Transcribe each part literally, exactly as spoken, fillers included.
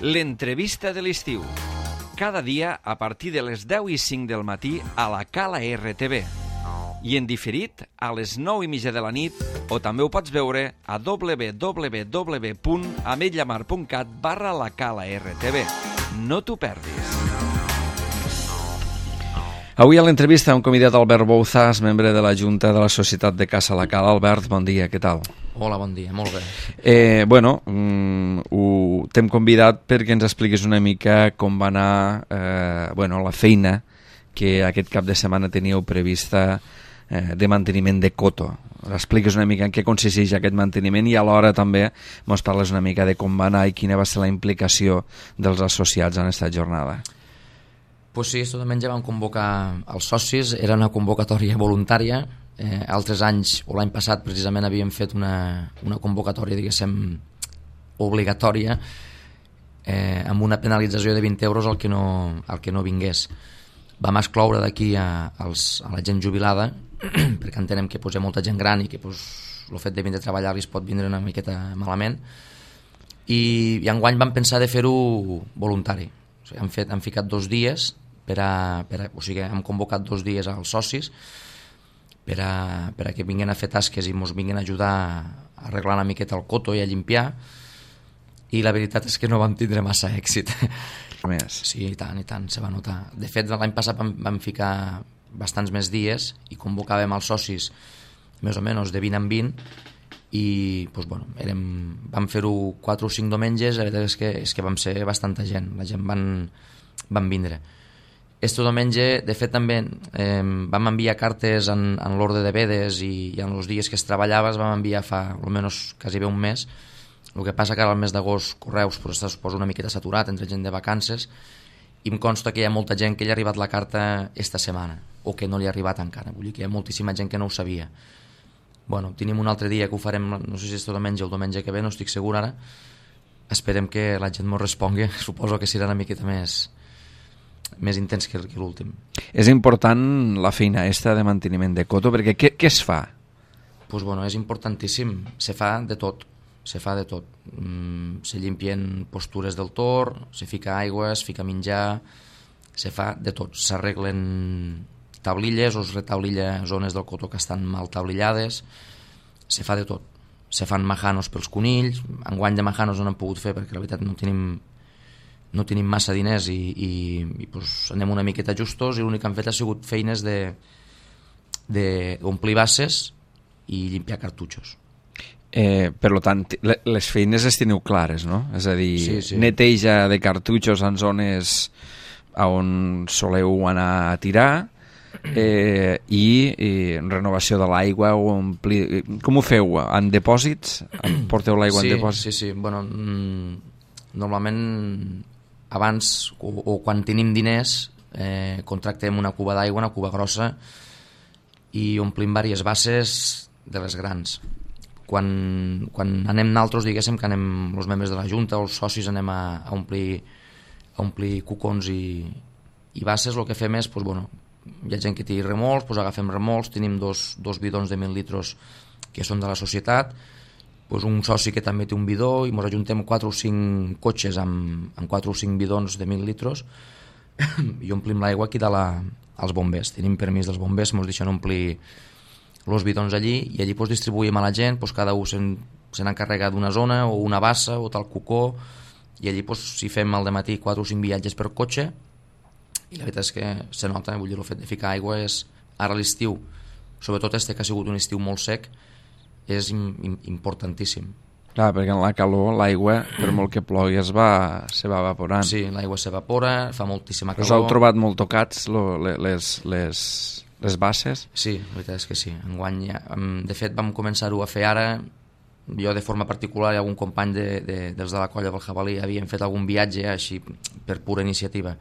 L'entrevista de l'estiu. Cada dia a partir de les deu i cinc del matí a la Cala R T V. I en diferit a les nou i mitja de la nit, o també ho pots veure a w w w punt ametlla mar punt cat barra la Cala R T V. No t'ho perdis. Avui a l'entrevista hem convidat Albert Bouzas, membre de la Junta de la Societat de Caça La Cala. Albert, bon dia, què tal? Hola, bon dia, molt bé. Eh, bueno, mm, ho, t'hem convidat perquè ens expliquis una mica com va anar eh, bueno, la feina que aquest cap de setmana teníeu prevista eh, de manteniment de coto. Expliques una mica en què consisteix aquest manteniment i alhora també ens parles una mica de com va anar i quina va ser la implicació dels associats en aquesta jornada. Pues sí, aquest diumenge vam convocar els socis, era una convocatòria voluntària. Eh, altres anys, o l'any passat precisament, havíem fet una, una convocatòria, diguéssim, obligatòria, eh, amb una penalització de vint euros al que no, al que no vingués. Vam excloure d'aquí a, als, a la gent jubilada, perquè entenem que pues, hi ha molta gent gran i que pues, el fet de vindre a treballar li es pot vindre una miqueta malament. I, i enguany vam pensar de fer-ho voluntari. O sigui, hem, fet, hem ficat dos dies, per a, per a, o sigui, hem convocat dos dies als socis per a, per a que vinguin a fer tasques i ens vinguin a ajudar a arreglar una miqueta el coto i a limpiar, i la veritat és que no vam tindre massa èxit. Més. Sí, i tant, i tant, se va notar. De fet, l'any passat vam, vam ficar bastants més dies i convocàvem els socis més o menys de vint en vint i doncs, bueno, érem, vam fer-ho quatre o cinc diumenges. La veritat és que, és que vam ser bastanta gent, la gent van, van vindre. Este diumenge, de fet, també eh, vam enviar cartes en, en l'ordre de vedes i, i en els dies que es treballava es vam enviar fa almenys quasi bé un mes. El que passa que ara al mes d'agost Correus pues, es posa una miqueta saturat entre gent de vacances i em consta que hi ha molta gent que li ha arribat la carta esta setmana o que no li ha arribat encara. Vull dir que hi ha moltíssima gent que no ho sabia. Bueno, tenim un altre dia que ho farem, no sé si és diumenge o el diumenge que ve, no estic segur ara. Esperem que la gent m'ho respongui. Suposo que serà una miqueta més, més intens que, que l'últim. És important la feina esta de manteniment de coto, perquè què, què es fa? Pues bueno, és importantíssim. Se fa de tot. Se fa de tot. Mm, se llimpien postures del tor, se fica aigua, es fica menjar, se fa de tot. S'arreglen tablilles o es retablilla zones del cotó que estan mal tablillades, se fa de tot. Se fan majanos pels conills. Enguany de majanos no n'hem pogut fer perquè la veritat no tenim, no tenim massa diners i, i, i pues anem una miqueta justos i l'únic que han fet ha sigut feines de, de omplir basses i limpiar cartutxos. Eh, per tant, les feines les teniu clares, no? És a dir, sí, sí. Neteja de cartutxos en zones on soleu anar a tirar eh, i, i renovació de l'aigua o omplir... Com ho feu? En depòsits? Porteu l'aigua sí, en depòsits? Sí, sí. Bueno, mm, normalment abans o, o quan tenim diners eh, contractem una cuba d'aigua, una cuba grossa i omplim diverses basses de les grans. Quan, quan anem naltros, diguéssim que anem els membres de la Junta o els socis anem a, a, omplir, a omplir cucons i, i basses, el que fem és, doncs, bueno, hi ha gent que té remolcs, doncs agafem remolcs, tenim dos, dos bidons de mil litros que són de la societat, doncs un soci que també té un bidó i ens ajuntem quatre o cinc cotxes amb, amb quatre o cinc bidons de mil litros i omplim l'aigua aquí de la, als bombers. Tenim permís dels bombers, ens deixen omplir els bidons allí i allí pues, distribuïm a la gent, pues, cada un se'n, se n'encarrega d'una zona o una bassa o tal cucó i allí pues, si fem al dematí quatre o cinc viatges per cotxe i la veritat és que se nota, vull dir, el fet de ficar aigua és, ara l'estiu, sobretot este que ha sigut un estiu molt sec, és im, im, importantíssim. Clar, perquè en la calor l'aigua, per molt que plogui, es va, se va evaporant. Sí, l'aigua s'evapora, fa moltíssima calor. Us heu trobat molt tocats lo, les... les... les basses? Sí, la veritat és que sí. Enguany, ja, de fet, vam començar-ho a fer ara. Jo, de forma particular, i algun company de, de, dels de la colla del Jabalí havíem fet algun viatge així per pura iniciativa.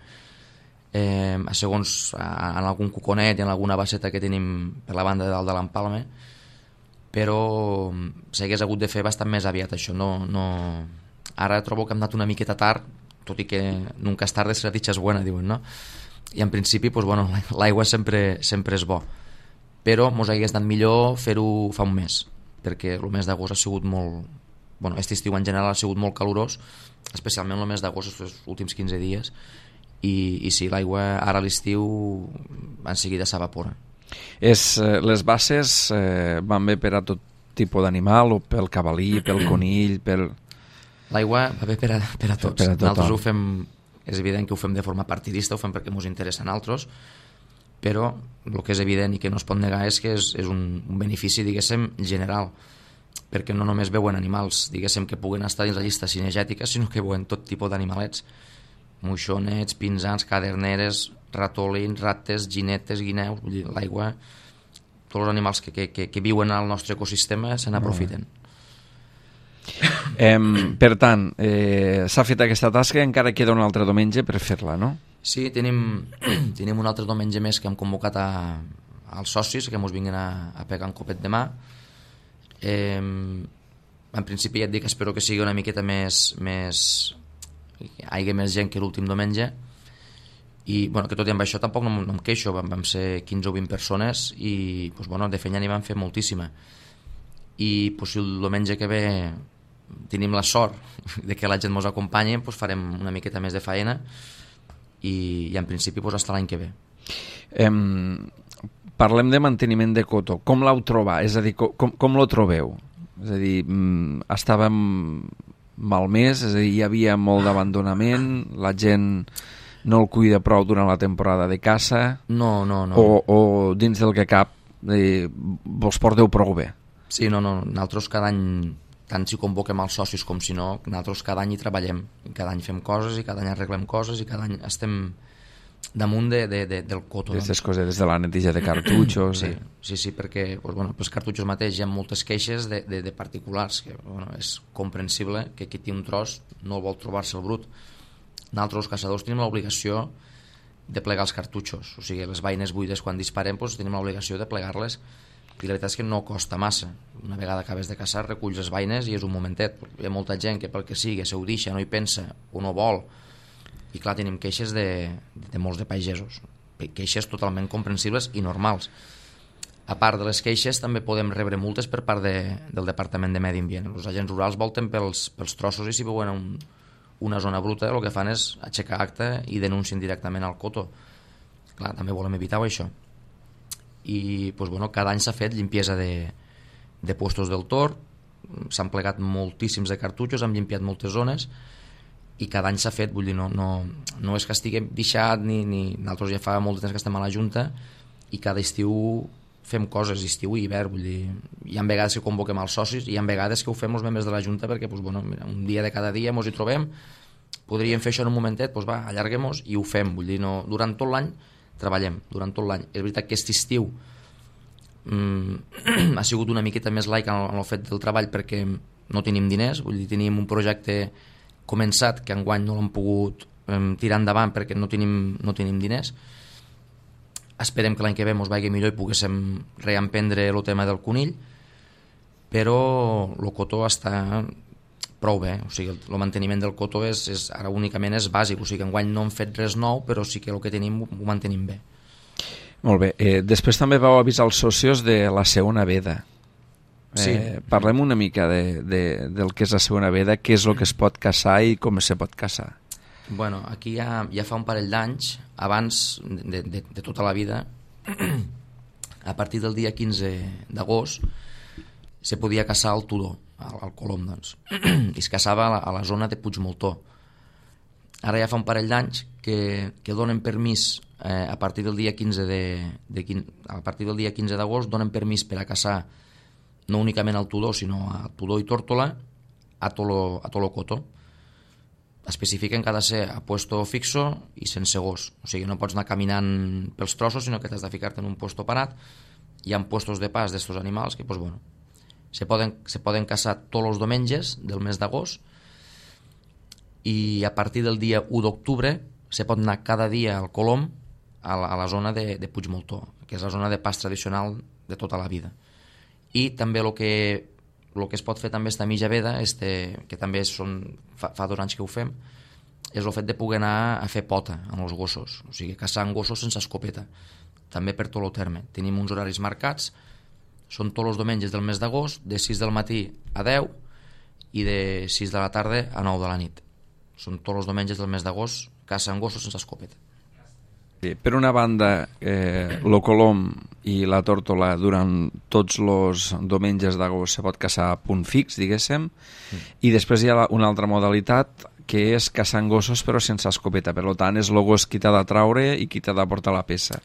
Eh, a segons, a, en algun cuconet i en alguna basseta que tenim per la banda de dalt de l'Empalme, però s'hagués hagut de fer bastant més aviat, això. No, no... Ara trobo que hem anat una miqueta tard, tot i que nunca és tarde si la dicha és buena, diuen, no? I en principi pues, bueno, l'aigua sempre, sempre és bo, però mos hagués anat millor fer-ho fa un mes, perquè el mes d'agost ha sigut molt, bueno, aquest estiu en general ha sigut molt calorós, especialment el mes d'agost, els últims quinze dies, i, i sí, l'aigua ara a l'estiu en seguida s'evapora. És, eh, les basses eh, van bé per a tot tipus d'animal, o pel cavalí, pel conill, pel... L'aigua va bé per a, per a tots. Per a Nosaltres ho fem, és evident que ho fem de forma partidista, ho fem perquè ens interessa a nosaltres, però el que és evident i que no es pot negar és que és, és un, un benefici, diguéssim, general, perquè no només veuen animals, diguéssim, que puguen estar dins la llista cinegètica, sinó que veuen tot tipus d'animalets, moixonets, pinzans, caderneres, ratolins, rates, ginetes, guineus. Vull dir, l'aigua, tots els animals que, que, que, que viuen al nostre ecosistema se n'aprofiten. Eh, per tant, eh, s'ha fet aquesta tasca, encara queda un altre diumenge per fer-la, no? Sí, tenim, tenim un altre diumenge més que hem convocat a, als socis que ens vinguin a, a pegar un copet de mà. Eh, en principi ja et dic, espero que sigui una miqueta més, més hi hagi més gent que l'últim diumenge, i bueno, que tot i amb això tampoc no, no em queixo, vam, vam ser quinze o vint persones i pues, bueno, de feina n'hi vam fer moltíssima, i pues, si el diumenge que ve tenim la sort de que la gent ens acompanyi, pues, farem una miqueta més de feina, i, i en principi pues, hasta l'any que ve. Eh, parlem de manteniment de coto. Com l'heu trobat? És a dir, com, com lo trobeu? És a dir, mm, estàvem malmès, és a dir, hi havia molt d'abandonament, la gent no el cuida prou durant la temporada de caça, no, no, no. O, o dins del que cap eh, vos porteu prou bé? Sí, no, no, nosaltres cada any, tant si convoquem els socis com si no, nosaltres cada any hi treballem, cada any fem coses i cada any arreglem coses i cada any estem damunt de, de, de, del coto. Aquestes doncs. coses, des de la neteja de cartutxos... Sí, de... sí, sí, perquè pues, bueno, pels cartutxos mateix hi ha moltes queixes de, de, de particulars, que bueno, és comprensible que qui té un tros no vol trobar-se el brut. Nosaltres, els caçadors, tenim l'obligació de plegar els cartutxos, o sigui, les beines buides quan disparem doncs, tenim l'obligació de plegar-les, i la veritat és que no costa massa. Una vegada acabes de caçar, reculls les beines i és un momentet. Hi ha molta gent que pel que sigui se ho deixa, no hi pensa o no vol, i clar, tenim queixes de, de molts de pagesos, queixes totalment comprensibles i normals. A part de les queixes també podem rebre multes per part de, del Departament de Medi Ambient. Els agents rurals volten pels, pels trossos i si veuen un, una zona bruta el que fan és aixecar acta i denuncien directament al coto. Clar, també volem evitar això. I pues, bueno, cada any s'ha fet limpiesa de, de puestos del tor, s'han plegat moltíssims de cartutxos, hem limpiat moltes zones i cada any s'ha fet, vull dir, no, no, no és que estiguem deixat ni, ni nosaltres ja fa molt de temps que estem a la Junta i cada estiu fem coses, estiu i hivern, vull dir, hi ha vegades que convoquem els socis i hi ha vegades que ho fem els membres de la Junta perquè pues, bueno, mira, un dia de cada dia ens hi trobem, podríem fer això en un momentet, doncs va, allarguem-nos i ho fem, vull dir, no, durant tot l'any treballem, durant tot l'any. És veritat que aquest estiu mm, ha sigut una miqueta més laic en, en el fet del treball perquè no tenim diners, vull dir, teníem un projecte començat que enguany no l'hem pogut eh, tirar endavant perquè no tenim, no tenim diners. Esperem que l'any que ve ens vagi millor i poguéssim reemprendre el tema del conill, però el cotó està prou bé, o sigui, el, el manteniment del cotó és, és, ara únicament és bàsic, o sigui, enguany no hem fet res nou, però sí que el que tenim ho, ho mantenim bé. Molt bé, eh, després també vau avisar els socios de la segona veda. Sí. Eh, parlem una mica de, de, del que és la segona veda, què és el que es pot caçar i com se pot caçar. Bueno, aquí ja, ja fa un parell d'anys, abans de, de, de tota la vida, a partir del dia quinze d'agost, se podia caçar al turó, al, al Colom, doncs. I es caçava a la, a la zona de Puigmoltó. Ara ja fa un parell d'anys que, que donen permís, eh, a partir del dia quinze de, de, a partir del dia quinze d'agost, donen permís per a caçar no únicament al tudó, sinó a tudó i tórtola, a tolo, a tolo coto. Especifiquen que ha de ser a puesto fixo i sense gos. O sigui, no pots anar caminant pels trossos, sinó que t'has de ficar-te en un puesto parat. Hi ha puestos de pas d'estos animals que, pues, bueno, se poden, se poden caçar tots els diumenges del mes d'agost i a partir del dia u d'octubre se pot anar cada dia al Colom a la, a la zona de, de Puigmoltó, que és la zona de pas tradicional de tota la vida. I també el que, el que es pot fer també esta mitja veda, este, que també són, fa, fa dos anys que ho fem, és el fet de poder anar a fer pota amb els gossos, o sigui, caçar amb gossos sense escopeta, també per tot el terme. Tenim uns horaris marcats, són tots els diumenges del mes d'agost, de sis del matí a deu, i de sis de la tarda a nou de la nit. Són tots els diumenges del mes d'agost, caça amb gossos sense escopeta. Sí, per una banda, eh, lo colom i la tórtola durant tots els diumenges d'agost se pot caçar a punt fix, diguéssim, mm. i després hi ha una altra modalitat que és caçar amb gossos però sense escopeta. Per tant, és el gos qui t'ha de traure i qui t'ha de portar la peça.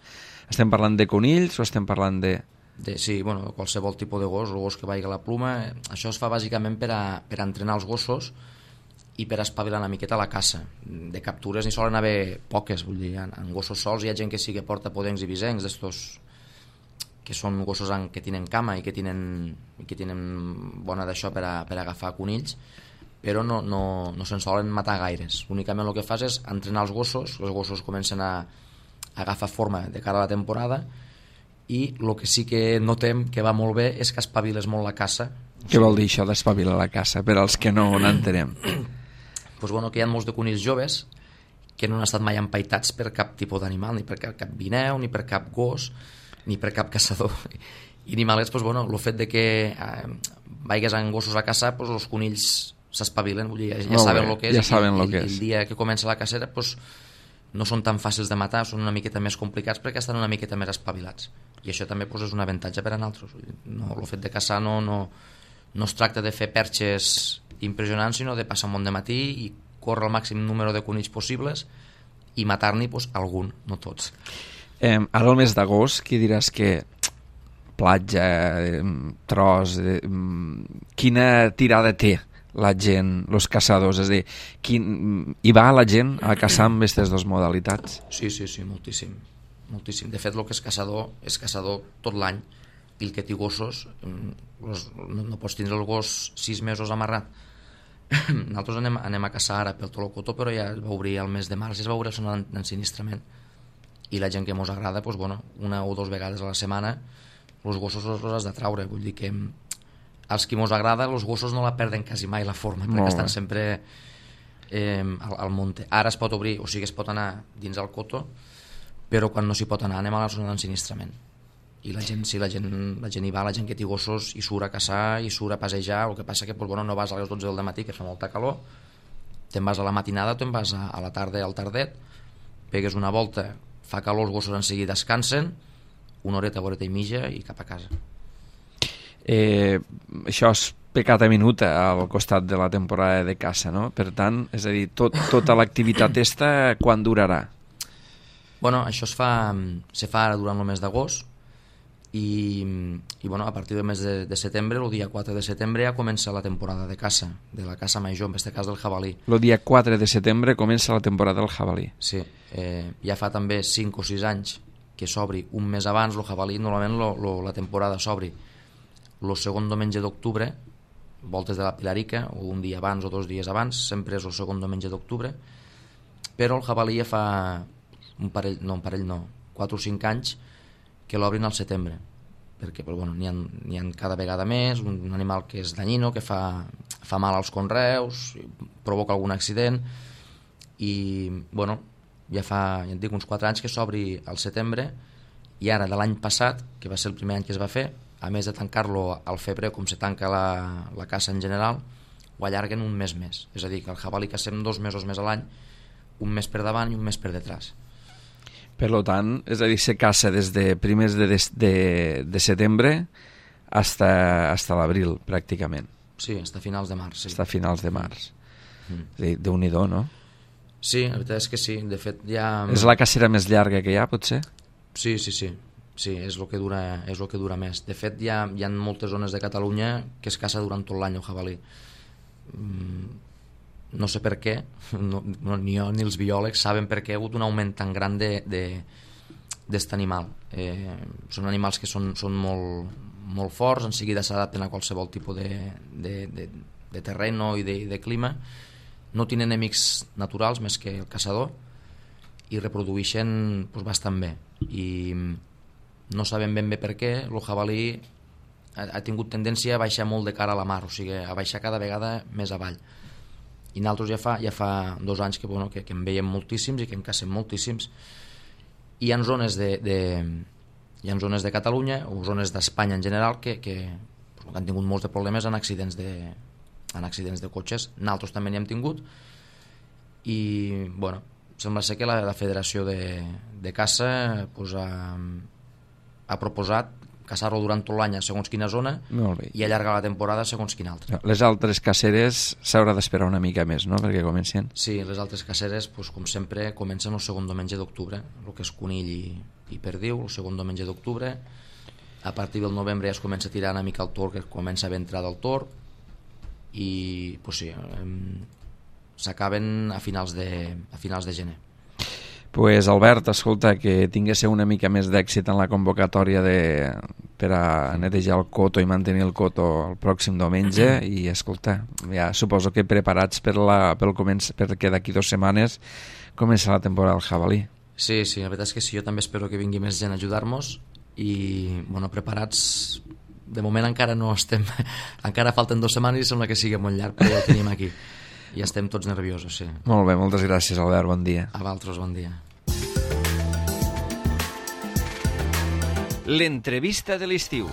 Estem parlant de conills o estem parlant de... de sí, bueno, qualsevol tipus de gos, el gos que vagi a la pluma. Això es fa bàsicament per a, per a entrenar els gossos i per espavilar una miqueta la caça. De captures n'hi solen haver poques, vull dir, en, en gossos sols hi ha gent que sí que porta podencs i visencs, d'estos que són gossos en, que tenen cama i que tenen, i que tenen bona d'això per, a, per a agafar conills, però no, no, no se'n solen matar gaires. Únicament el que fas és entrenar els gossos, els gossos comencen a, a agafar forma de cara a la temporada, i el que sí que notem que va molt bé és que espaviles molt la caça. Què vol dir això d'espavilar la caça, per als que no n'entenem? Pues bueno, que hi ha molts de conills joves que no han estat mai empaitats per cap tipus d'animal, ni per cap, cap vineu, ni per cap gos, ni per cap caçador. I animalets, pues bueno, el fet de que eh, vaigues amb gossos a caçar, pues els conills s'espavilen, vull dir, ja, ja saben el que és, ja saben i, lo que i, és. I el dia que comença la cacera, pues no són tan fàcils de matar, són una miqueta més complicats perquè estan una miqueta més espavilats. I això també pues, és un avantatge per a nosaltres. No, el fet de caçar no, no, no es tracta de fer perxes impressionants, sinó de passar un bon de matí i córrer el màxim número de conills possibles i matar-n'hi pues, algun, no tots. Eh, ara el mes d'agost, qui diràs que platja, eh, tros, eh, quina tirada té la gent, els caçadors? És a dir, quin, hi va la gent a caçar amb aquestes dues modalitats? Sí, sí, sí, moltíssim. moltíssim. De fet, el que és caçador és caçador tot l'any, i el que té gossos, los, no, no pots tindre el gos sis mesos amarrat. Nosaltres anem, anem a caçar ara pel Tolocotó, però ja es va obrir el mes de març, ja es va obrir el d'ensinistrament, i la gent que mos agrada, pues, bueno, una o dues vegades a la setmana els gossos els has de traure. Vull dir que als qui mos agrada els gossos no la perden quasi mai la forma, perquè estan sempre eh, al, al monte. Ara es pot obrir, o sigui, es pot anar dins el coto, però quan no s'hi pot anar anem a la zona d'ensinistrament. I la gent, sí, la gent, la gent hi va, la gent que té gossos hi surt a caçar, hi surt a passejar. El que passa que pues, bueno, no vas a les dotze del matí, que fa molta calor, te'n vas a la matinada, te'n vas a, a la tarda al tardet, pegues una volta, fa calor, els gossos en seguida descansen, una horeta, horeta i mitja i cap a casa. Eh, això és pecata minuta al costat de la temporada de caça, no? Per tant, és a dir, tot, tota l'activitat esta, quan durarà? Bueno, això es fa, se fa ara durant el mes d'agost, i, i bueno, a partir del mes de, de setembre, el dia quatre de setembre ja comença la temporada de caça, de la caça major, en aquest cas del jabalí. El dia quatre de setembre comença la temporada del jabalí. Sí, eh, ja fa també cinc o sis anys que s'obri un mes abans el jabalí. Normalment lo, lo, la temporada s'obri el segon diumenge d'octubre, voltes de la Pilarica, o un dia abans o dos dies abans, sempre és el segon diumenge d'octubre, però el jabalí ja fa un parell, no, un parell no, quatre o cinc anys que l'obrin al setembre, perquè bueno, n'hi ha, n'hi ha cada vegada més, un animal que és danyino, que fa, fa mal als conreus, provoca algun accident, i bueno, ja fa, ja et dic, uns quatre anys que s'obri al setembre, i ara de l'any passat, que va ser el primer any que es va fer, a més de tancar-lo al febrer com se tanca la, la caça en general, ho allarguen un mes més, és a dir, que el jabalí cacem dos mesos més a l'any, un mes per davant i un mes per detrás. Per tant, és a dir, se caça des de primers de, de, de setembre hasta, hasta l'abril, pràcticament. Sí, hasta finals de març. Sí. Hasta finals de març. Mm. És a dir, Déu-n'hi-do, no? Sí, la veritat és que sí. De fet, ja... És la cacera més llarga que hi ha, potser? Sí, sí, sí. Sí, és el que dura, és el que dura més. De fet, hi ha, hi ha moltes zones de Catalunya que es caça durant tot l'any el jabalí. Mm, no sé per què, no, no, ni jo ni els biòlegs saben per què hi ha hagut un augment tan gran de, de, d'est animal. Eh, són animals que són, són molt, molt forts, en seguida s'adapten a qualsevol tipus de, de, de, de terreno i de, de clima, no tenen enemics naturals més que el caçador, i reprodueixen pues, bastant bé, i no sabem ben bé per què el jabalí ha, ha tingut tendència a baixar molt de cara a la mar, o sigui, a baixar cada vegada més avall. I nosaltres ja fa, ja fa dos anys que, bueno, que, que en veiem moltíssims i que en cacem moltíssims. I hi ha zones de, de, hi ha zones de Catalunya o zones d'Espanya en general que, que, que han tingut molts de problemes en accidents de, en accidents de cotxes. Nosaltres també n'hi hem tingut i, bueno, sembla ser que la, la Federació de, de Caça pues, ha, ha proposat caçar-lo durant tot l'any a segons quina zona i allargar la temporada a segons quina altra. Les altres caceres s'haurà d'esperar una mica més, no?, perquè comencin. Sí, les altres caceres, pues, com sempre, comencen el segon diumenge d'octubre, el que és conill i, i perdiu, el segon diumenge d'octubre. A partir del novembre ja es comença a tirar una mica el tor, que comença a haver entrada al tor, i pues, sí, s'acaben a finals de, a finals de gener. Pues Albert, escolta, que tinguéssiu una mica més d'èxit en la convocatòria de, per a netejar el coto i mantenir el coto el pròxim diumenge i escolta, ja suposo que preparats per la, pel començ, perquè d'aquí dues setmanes comença la temporada del jabalí. Sí, sí, la veritat és que sí, jo també espero que vingui més gent a ajudar-nos i, bueno, preparats de moment encara no estem, encara falten dues setmanes i sembla que sigui molt llarg, però ja ho tenim aquí. I estem tots nerviosos, sí. Molt bé, moltes gràcies, Albert, bon dia. A vosaltres, bon dia. L'entrevista de l'estiu.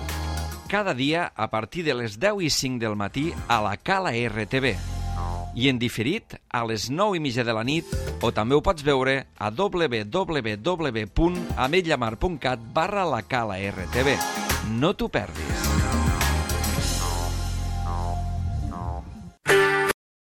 Cada dia a partir de les deu i cinc del matí a la Cala R T V. I en diferit a les nou i mitja de la nit o també ho pots veure a w w w punt ametlllamar punt cat barra la Cala R T V. No t'ho perdis.